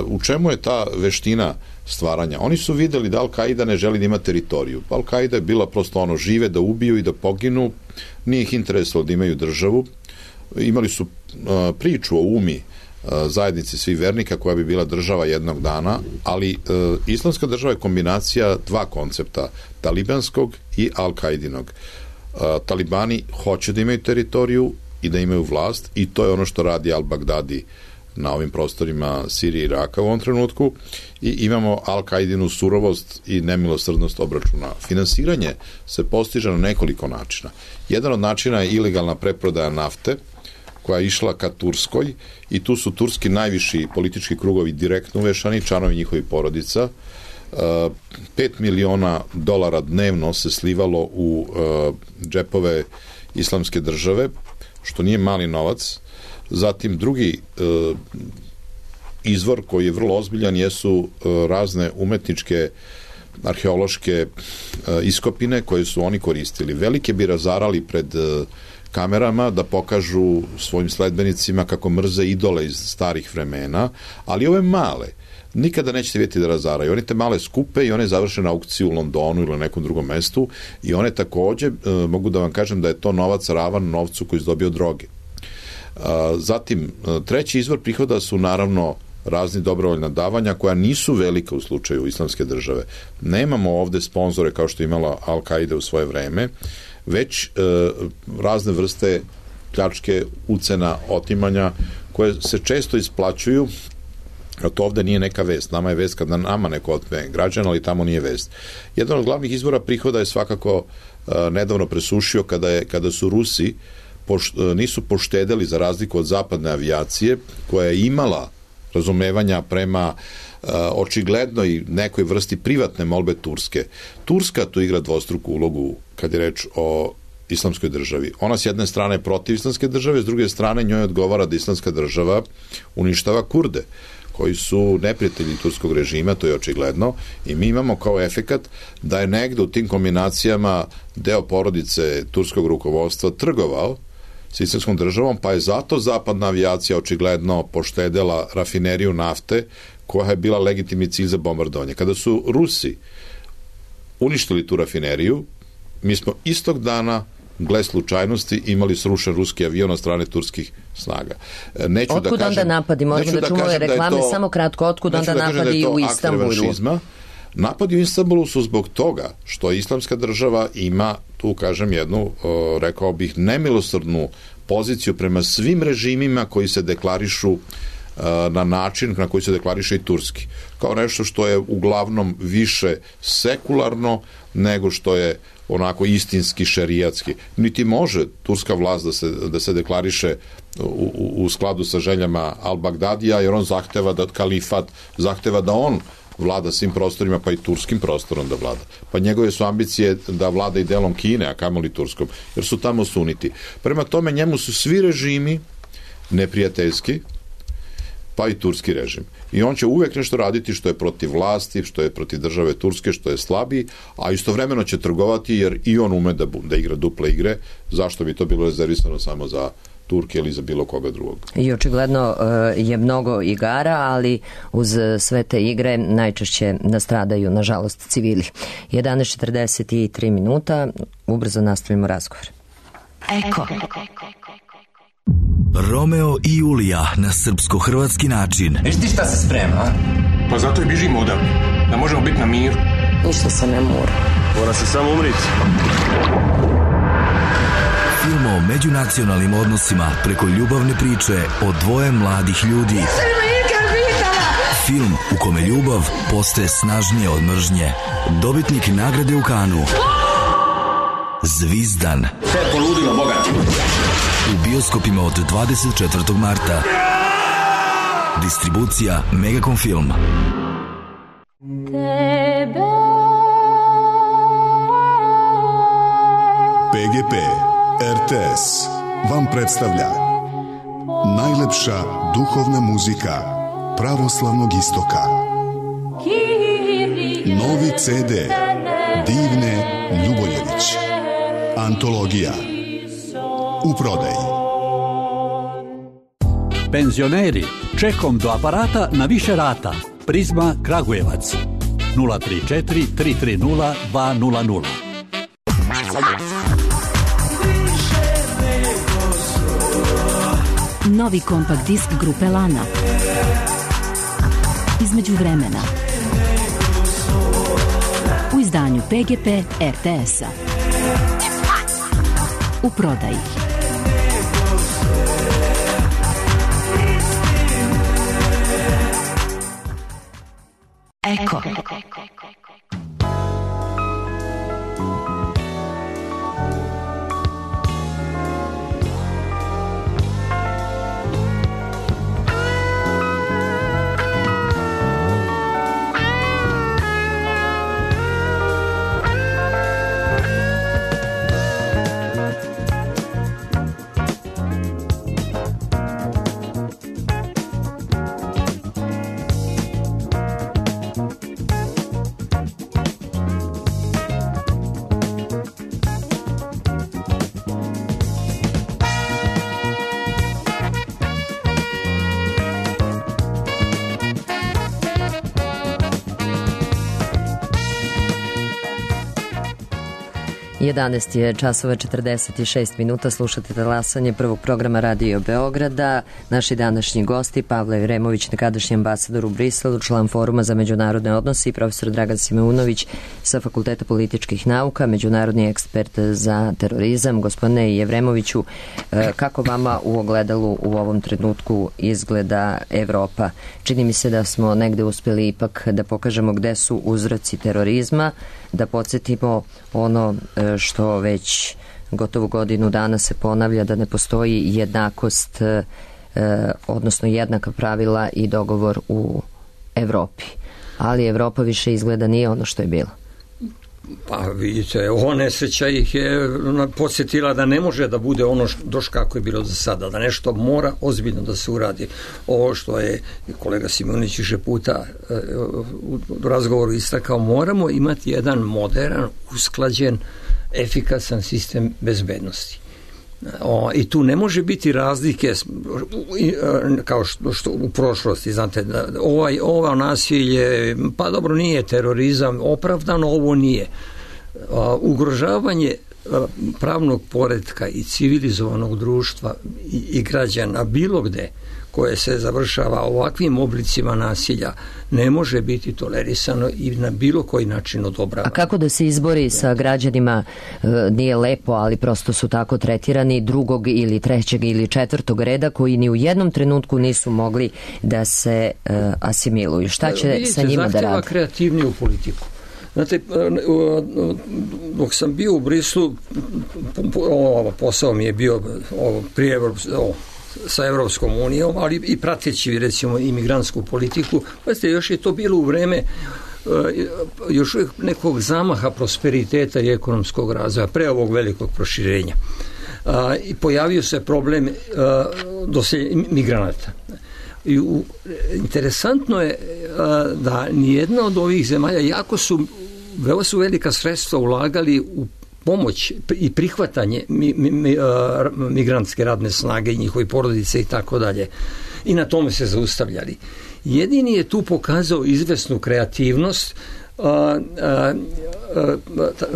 U čemu je ta veština stvaranja. Oni su videli da Al-Qaida ne želi da ima teritoriju. Al-Qaida je bila prosto ono, žive da ubiju i da poginu, nije ih interesalo da imaju državu. Imali su priču o UMI, zajednici svih vernika koja bi bila država jednog dana, ali islamska država je kombinacija dva koncepta, talibanskog i Al-Qaidinog. Talibani hoće da imaju teritoriju i da imaju vlast i to je ono što radi Al-Baghdadi na ovim prostorima Sirije i Iraka u ovom trenutku i imamo Al-Qaidinu surovost i nemilosrdnost obračuna. Finansiranje se postiže na nekoliko načina. Jedan od načina je ilegalna preprodaja nafte koja je išla ka Turskoj i tu su turski najviši politički krugovi direktno uvešani, članovi njihovih porodica. 5 miliona dolara dnevno se slivalo u džepove islamske države, što nije mali novac. Zatim drugi izvor koji je vrlo ozbiljan jesu razne umetničke arheološke iskopine koje su oni koristili. Velike bi razarali pred kamerama da pokažu svojim sledbenicima kako mrze idole iz starih vremena, ali ove male nikada nećete vidjeti da razaraju. One te male skupe i one završe na aukciju u Londonu ili na nekom drugom mestu i one takođe, mogu da vam kažem da je to novac ravan novcu koji je dobio droge. Zatim, treći izvor prihoda su naravno razni dobrovoljna davanja koja nisu velika u slučaju islamske države. Nemamo ovde sponzore kao što je imala Al-Qaida u svoje vreme, već razne vrste pljačke, ucena, otimanja koje se često isplaćuju, a to ovde nije neka vest. Nama je vest kada nama neko otme građana, ali tamo nije vest. Jedan od glavnih izvora prihoda je svakako nedavno presušio kada su Rusi nisu poštedeli za razliku od zapadne avijacije koja je imala razumevanja prema očiglednoj nekoj vrsti privatne molbe Turske. Turska tu igra dvostruku ulogu kad je reč o islamskoj državi. Ona s jedne strane je protiv islamske države, s druge strane njoj odgovara da islamska država uništava Kurde koji su neprijatelji turskog režima, to je očigledno, i mi imamo kao efekat da je negde u tim kombinacijama deo porodice turskog rukovodstva trgovao s islamskom državom, pa je zato zapadna avijacija očigledno poštedela rafineriju nafte koja je bila legitimni cilj za bombardovanje. Kada su Rusi uništili tu rafineriju, mi smo istog dana, gle slučajnosti, imali srušen ruski avion od strane turskih snaga. Otkud onda napadi? Možemo da čujemo ove reklame, samo kratko, otkud onda napadi u Istanbulu? Napadi u Istanbulu su zbog toga što islamska država ima, tu kažem, jednu, rekao bih, nemilosrdnu poziciju prema svim režimima koji se deklarišu na način na koji se deklariše i turski. Kao nešto što je uglavnom više sekularno nego što je onako istinski šerijatski. Niti može turska vlast da se deklariše u skladu sa željama Al-Baghdadija, jer on zahteva da kalifat, zahteva da on vlada svim prostorima, pa i turskim prostorom da vlada. Pa njegove su ambicije da vlada i delom Kine, a kamoli turskom, jer su tamo suniti. Prema tome, njemu su svi režimi neprijateljski, pa i turski režim. I on će uvek nešto raditi što je protiv vlasti, što je protiv države Turske, što je slabiji, a istovremeno će trgovati jer i on ume da igra duple igre. Zašto bi to bilo rezervisano samo za Turke ili za bilo koga drugog? I očigledno je mnogo igara, ali uz sve te igre najčešće nastradaju, nažalost, civili. 11:43 minuta, ubrzo nastavimo razgovor. Eko. Romeo i Julija na srpsko-hrvatski način. Viš ti šta se sprema, a? Pa zato i bižimo odavde, da možemo biti na miru. Ništa se ne mora. Mora se samo umriti. Film o međunacionalnim odnosima preko ljubavne priče o dvoje mladih ljudi. Film u kome ljubav postaje snažnije od mržnje. Dobitnik nagrade u Kanu. Zvizdan. Sve je poludilo, bogati. U bioskopima od 24. marta. Distribucija Megacom Film. PGP RTS vam predstavlja najlepša duhovna muzika pravoslavnog istoka. Novi CD Divne Ljuboljević. Antologija. U prodaji. Penzioneri, čekom do aparata na više rata. Prizma Kragujevac. 034 330 200. Novi kompakt disk grupe Lana. Između vremena. U izdanju PGP RTS-a. U prodaji. Eko. Jedanaest je časova 46 minuta, slušate talasanje prvog programa Radio Beograda. Naši današnji gosti Pavle Vremović, nekadašnji ambasador u Briselu, član Foruma za međunarodne odnose, i profesor Dragan Simeunović sa Fakulteta političkih nauka, međunarodni ekspert za terorizam. Gospodine Jevremoviću, kako vama u ogledalu u ovom trenutku izgleda Evropa? Čini mi se da smo negde uspjeli ipak da pokažemo gde su uzroci terorizma, da podsjetimo ono što već gotovo godinu dana se ponavlja, da ne postoji jednakost, odnosno jednaka pravila i dogovor u Evropi. Ali Evropa više izgleda nije ono što je bila. Pa vidite, ova nesreća ih je podsjetila da ne može da bude ono kako je bilo do sada, da nešto mora ozbiljno da se uradi. Ovo što je kolega Simonić više puta u razgovoru istakao, moramo imati jedan modern, usklađen, efikasan sistem bezbednosti. I tu ne može biti razlike kao što u prošlosti, znate, ovo nasilje, pa dobro, nije terorizam, opravdano ovo nije. Ugrožavanje pravnog poretka i civilizovanog društva i građana bilo gde koje se završava ovakvim oblicima nasilja ne može biti tolerisano i na bilo koji način odobrava. A kako da se izbori sa građanima, nije lepo, ali prosto su tako tretirani, drugog ili trećeg ili četvrtog reda, koji ni u jednom trenutku nisu mogli da se asimiluju? Šta će vidite, sa njima da rade? Zahtjeva kreativniju politiku. Znate, dok sam bio u Brislu, posao mi je bio prije sa Evropskom unijom, ali i prateći, recimo, imigrantsku politiku. Pazite, još je to bilo u vreme još uvijek nekog zamaha prosperiteta i ekonomskog razvoja, pre ovog velikog proširenja. I pojavio se problem migranata. Interesantno je da nijedna od ovih zemalja, veoma su velika sredstva ulagali u pomoć i prihvatanje migrantske radne snage i njihovi porodice i tako dalje. I na tome se zaustavljali. Jedini je tu pokazao izvesnu kreativnost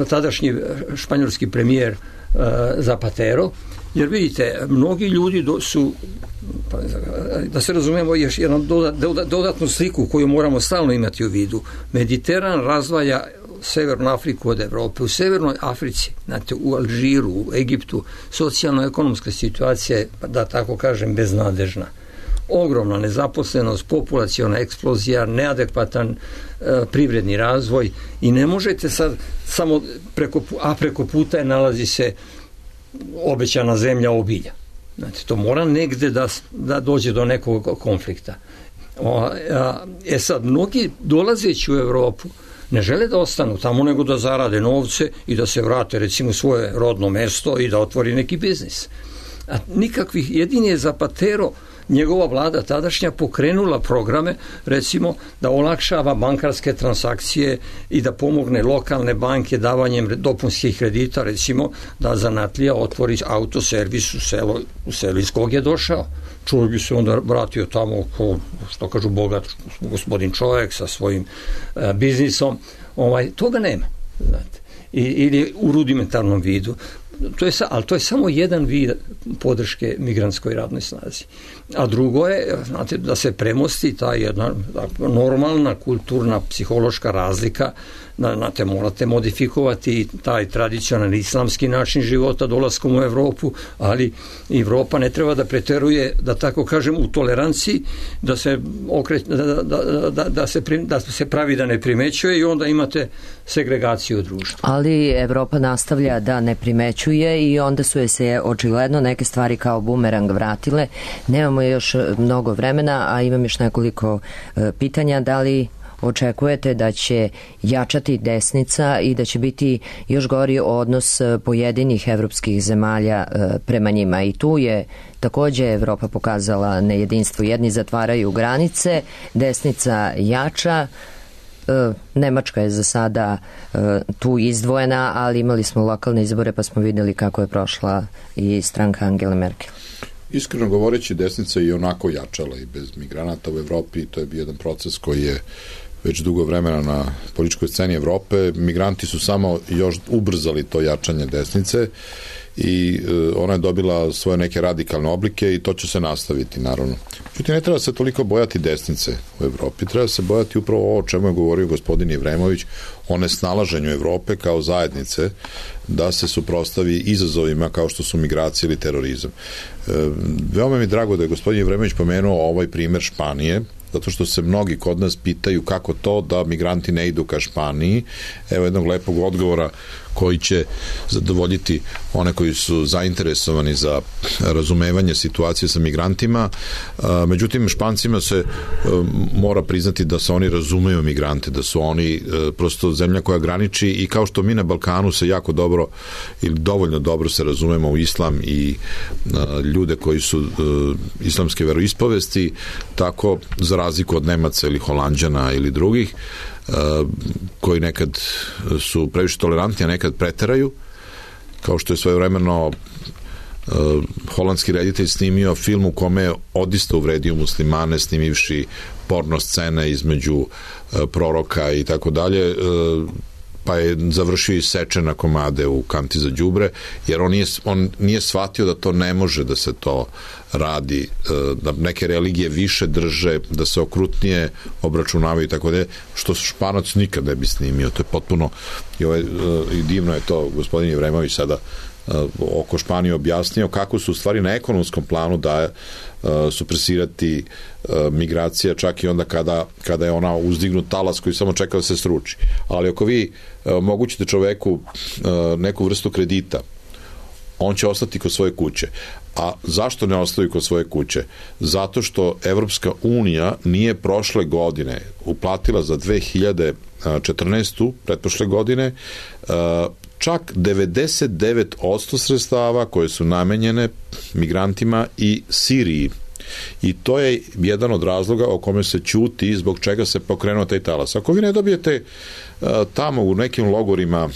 tadašnji španjolski premijer Zapatero, jer vidite, mnogi ljudi su, da se razumemo, još jednu dodatnu sliku koju moramo stalno imati u vidu. Mediteran razdvaja Severnu Afriku od Evrope. U Severnoj Africi, znate, u Alžiru, u Egiptu, socijalno-ekonomska situacija je, da tako kažem, beznadežna. Ogromna nezaposlenost, populaciona eksplozija, neadekvatan privredni razvoj i ne možete sad samo preko puta je nalazi se obećana zemlja obilja. Znate, to mora negde da dođe do nekog konflikta. Sad, mnogi dolazeći u Evropu ne žele da ostanu tamo, nego da zarade novce i da se vrate, recimo, u svoje rodno mesto i da otvori neki biznis. A nikakvih, jedini je Zapatero njegova vlada tadašnja pokrenula programe, recimo da olakšava bankarske transakcije i da pomogne lokalne banke davanjem dopunskih kredita, recimo da zanatlija otvori autoservis u selu iz kog je došao. Čovjek bi se onda vratio tamo ko, što kažu, bogat gospodin čovjek sa svojim biznisom. Toga nema, znate. Ili u rudimentarnom vidu. Ali to je samo jedan vid podrške migrantskoj radnoj snazi. A drugo je, znate, da se premosti ta jedna normalna kulturna psihološka razlika. Znate, morate modifikovati taj tradicionalni islamski način života dolaskom u Evropu, ali Evropa ne treba da preteruje, da tako kažem, u toleranciji, da se pravi da ne primećuje i onda imate segregaciju u društvu. Ali Evropa nastavlja da ne primećuje i onda su se očigledno neke stvari kao bumerang vratile. Nemamo još mnogo vremena, a imam još nekoliko pitanja. Da li očekujete da će jačati desnica i da će biti još gori odnos pojedinih evropskih zemalja prema njima? I tu je takođe Evropa pokazala nejedinstvo. Jedni zatvaraju granice, desnica jača. Nemačka je za sada tu izdvojena, ali imali smo lokalne izbore pa smo videli kako je prošla i stranka Angele Merkel. Iskreno govoreći, desnica je i onako jačala i bez migranata u Evropi. To je bio jedan proces koji je već dugo vremena na političkoj sceni Evrope. Migranti su samo još ubrzali to jačanje desnice i ona je dobila svoje neke radikalne oblike i to će se nastaviti, naravno. Međutim, ne treba se toliko bojati desnice u Evropi, treba se bojati upravo ovo o čemu je govorio gospodin Ivremović, o nesnalaženju Evrope kao zajednice da se suprotstavi izazovima kao što su migracije ili terorizam. Veoma mi je drago da je gospodin Ivremović pomenuo ovaj primer Španije, zato što se mnogi kod nas pitaju kako to da migranti ne idu ka Španiji. Evo jednog lepog odgovora koji će zadovoljiti one koji su zainteresovani za razumevanje situacije sa migrantima. Međutim, Špancima se mora priznati da se oni razumeju migrante, da su oni prosto zemlja koja graniči i kao što mi na Balkanu se jako dobro ili dovoljno dobro se razumemo u islam i ljude koji su islamske veroispovesti, tako za razliku od Nemaca ili Holanđana ili drugih koji nekad su previše tolerantni, a nekad preteraju, kao što je svojevremeno holandski reditelj snimio film u kome je odista uvredio muslimane, snimivši porno scene između proroka i tako dalje, pa je završio i seče na komade u kanti za đubre, jer on nije shvatio da to ne može da se to radi, da neke religije više drže, da se okrutnije obračunavaju i tako dalje, što Španac nikad ne bi snimio. To je potpuno i divno je to gospodin Ivremović sada oko Španije objasnio kako su u stvari na ekonomskom planu da supresirati migracija čak i onda kada je ona uzdignut talas koji samo čeka da se sruči. Ali ako vi omogućite čoveku neku vrstu kredita, on će ostati kod svoje kuće. A zašto ne ostavi kod svoje kuće? Zato što Evropska unija nije prošle godine uplatila za 2014. pretprošle godine čak 99% sredstava koje su namenjene migrantima i Siriji. I to je jedan od razloga o kome se ćuti zbog čega se pokrenuo taj talas. Ako vi ne dobijete tamo u nekim logorima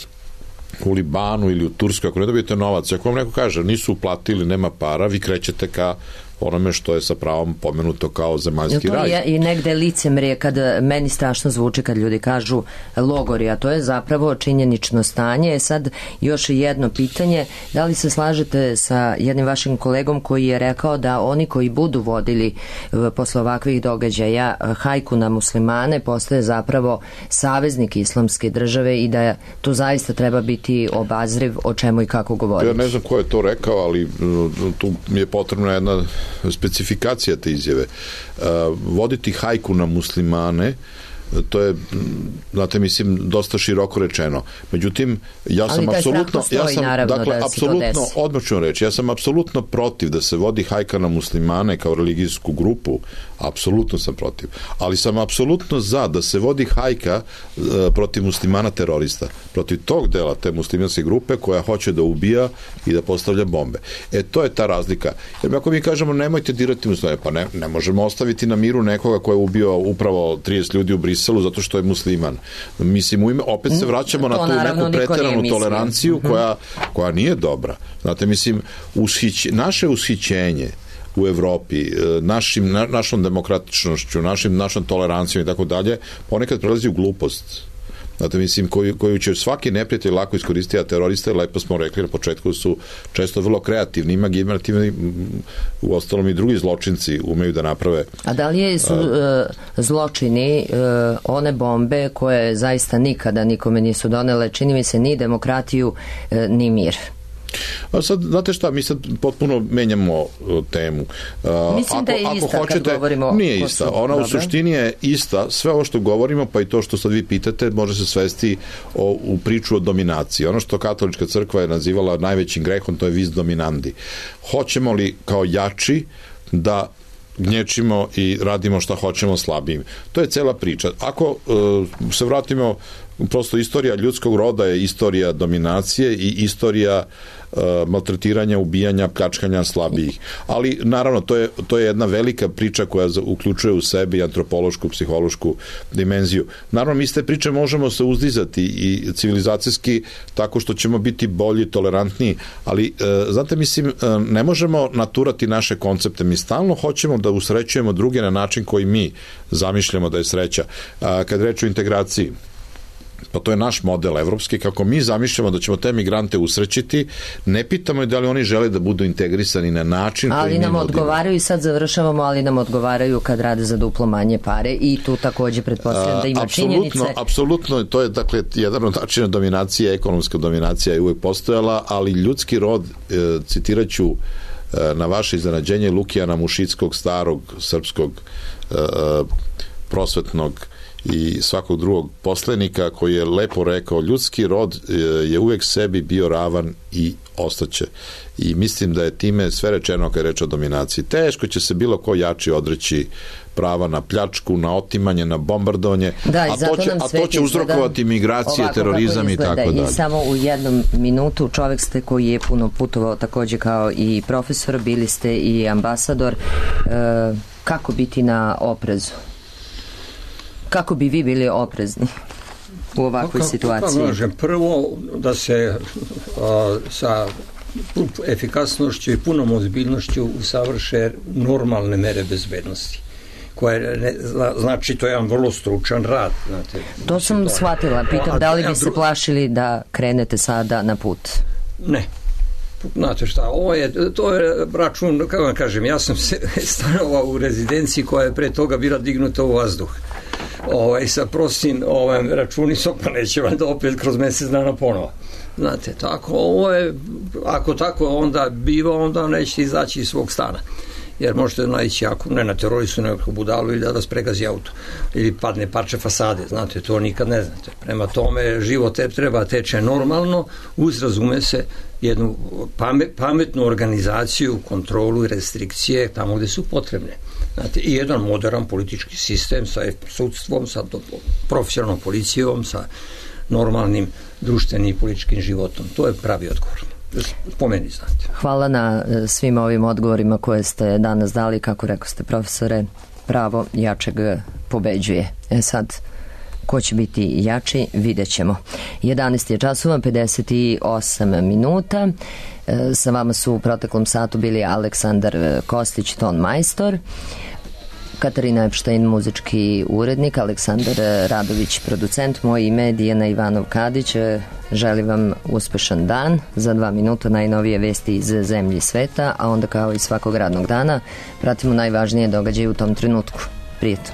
u Libanu ili u Turskoj, ako ne dobijete novac, ako vam neko kaže nisu uplatili, nema para, vi krećete ka onome što je sa pravom pomenuto kao zemaljski raj. Je i negde licemrije kad meni strašno zvuči kad ljudi kažu logori, a to je zapravo činjenično stanje. Sad još jedno pitanje, da li se slažete sa jednim vašim kolegom koji je rekao da oni koji budu vodili posle ovakvih događaja hajku na muslimane postaje zapravo saveznik islamske države i da tu zaista treba biti obazriv o čemu i kako govoriti? Ja ne znam ko je to rekao, ali tu mi je potrebna jedna specifikacija te izjave. Voditi hajku na muslimane To je, znate, mislim, dosta široko rečeno. Međutim, ja sam apsolutno, odmah ću vam reći, ja sam apsolutno protiv da se vodi hajka na muslimane kao religijsku grupu, apsolutno sam protiv. Ali sam apsolutno za da se vodi hajka protiv muslimana terorista, protiv tog dela te muslimanske grupe koja hoće da ubija i da postavlja bombe. To je ta razlika. Jer ako mi kažemo nemojte dirati muslimane, pa ne možemo ostaviti na miru nekoga ko je ubio upravo 30 ljudi u Briselu zato što je musliman. Mislim, opet se vraćamo na tu neku preteranu toleranciju koja nije dobra. Znate, mislim, naše ushićenje u Evropi, našom demokratičnošću, našom tolerancijom i tako dalje, ponekad prelazi u glupost. Znate, mislim, koju će svaki neprijatelj lako iskoristiti, a teroriste, lepo smo rekli na početku, su često vrlo kreativni, imaginativni, u ostalom i drugi zločinci umeju da naprave. A da li su zločini one bombe koje zaista nikada nikome nisu donele, čini mi se, ni demokratiju, ni mir? A sad, znate šta, mi sad potpuno menjamo temu. Mislim da je ista kad govorimo... Nije ista, ona u suštini je ista. Sve ovo što govorimo, pa i to što sad vi pitate, može se svesti u priču o dominaciji. Ono što katolička crkva je nazivala najvećim grehom, to je vis dominandi. Hoćemo li kao jači da gnječimo i radimo šta hoćemo slabijim? To je cela priča. Ako se vratimo, prosto istorija ljudskog roda je istorija dominacije i istorija maltretiranja, ubijanja, pljačkanja slabijih. Ali naravno to je jedna velika priča koja uključuje u sebi antropološku, psihološku dimenziju. Naravno, mi iz te priče možemo se uzdizati i civilizacijski tako što ćemo biti bolji, tolerantniji, ali znate, mislim, ne možemo naturati naše koncepte. Mi stalno hoćemo da usrećujemo druge na način koji mi zamišljamo da je sreća. Kad reč o integraciji, pa to je naš model evropski, kako mi zamišljamo da ćemo te migrante usrećiti, ne pitamo da li oni žele da budu integrisani na način koji mi nudimo. Ali nam odgovaraju, i sad završavamo, ali nam odgovaraju kad rade za duplo manje pare i tu takođe pretpostavljam da ima činjenice. Apsolutno, to je dakle jedan od načina dominacije, ekonomska dominacija je uvek postojala, ali ljudski rod, citiraću na vaše iznenađenje Lukijana Mušickog, starog srpskog prosvetnog i svakog drugog poslenika, koji je lepo rekao, ljudski rod je uvek sebi bio ravan i ostaće. I mislim da je time sve rečeno kad je reč o dominaciji. Teško će se bilo ko jači odreći prava na pljačku, na otimanje, na bombardovanje, a to će uzrokovati migracije, terorizam i tako dalje. I samo u jednom minutu, čovek ste koji je puno putovao takođe kao i profesor, bili ste i ambasador. Kako biti na oprezu? Kako bi vi bili oprezni u ovakvoj situaciji? Prvo, da se sa efikasnošću i punom ozbiljnošću usavrše normalne mere bezbednosti. Znači, to je jedan vrlo stručan rad. Znate, to sam shvatila. Pitam, da li bi se plašili da krenete sada na put? Ne. Znate šta, to je račun, kako vam kažem, ja sam se stanovao u rezidenciji koja je pre toga bila dignuta u vazduh. Sa prostim računicom, pa neće valjda opet kroz mesec dana ponovo. Znate, tako, ako tako onda biva, onda nećete izaći iz svog stana. Jer možete naići, ako ne na teroristu, nekako budalu, ili da vas pregazi auto, ili padne parče fasade, znate, to nikad ne znate. Prema tome, život treba teče normalno, uz, razume se, jednu pametnu organizaciju, kontrolu i restrikcije tamo gde su potrebne. Znate, i jedan modern politički sistem sa sudstvom, sa profesionalnom policijom, sa normalnim društvenim i političkim životom. To je pravi odgovor. Pomeni, znate. Hvala na svim ovim odgovorima koje ste danas dali. Kako rekao ste, profesore, pravo jačeg pobeđuje. Sad, ko će biti jači, vidjet ćemo. 11 je časova, 58 minuta. Sa vama su u proteklom satu bili Aleksandar Kostić, ton majstor, Katarina Epštajn, muzički urednik, Aleksandar Radović, producent. Moje ime je Dijana Ivanov-Kadić. Želim vam uspešan dan. Za 2 minuta najnovije vesti iz zemlje i sveta, a onda kao i svakog radnog dana pratimo najvažnije događaje u tom trenutku. Prijetno.